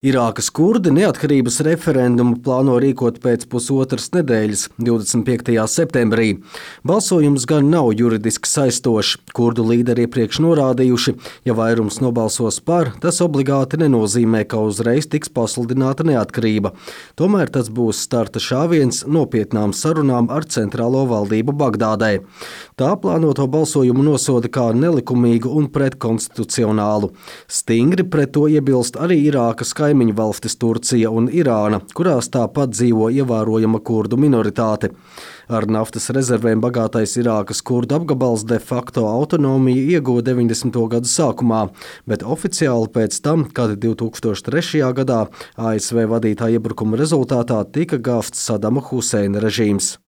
Irākas kurdi neatkarības referendumu plāno rīkot pēc pusotras nedēļas, 25. septembrī. Balsojums gan nav juridiski saistošs. Kurdu līderi iepriekš norādījuši, ja vairums nobalsos par, tas obligāti nenozīmē, ka uzreiz tiks pasludināta neatkarība. Tomēr tas būs starta šāviens nopietnām sarunām ar centrālo valdību Bagdādē. Tā plānoto balsojumu nosoda kā nelikumīgu un pretkonstitucionālu. Stingri pret to iebilst arī Irākas kaimiņu valstis Turcija un Irāna, kurās tāpat dzīvo ievērojama kurdu minoritāte. Ar naftas rezervēm bagātais Irākas kurdu apgabals de facto autonomiju ieguva 90. gadu sākumā, bet oficiāli pēc tam, kad 2003. gadā ASV vadītā iebrukuma rezultātā tika gāzts Sadama Huseina režīms.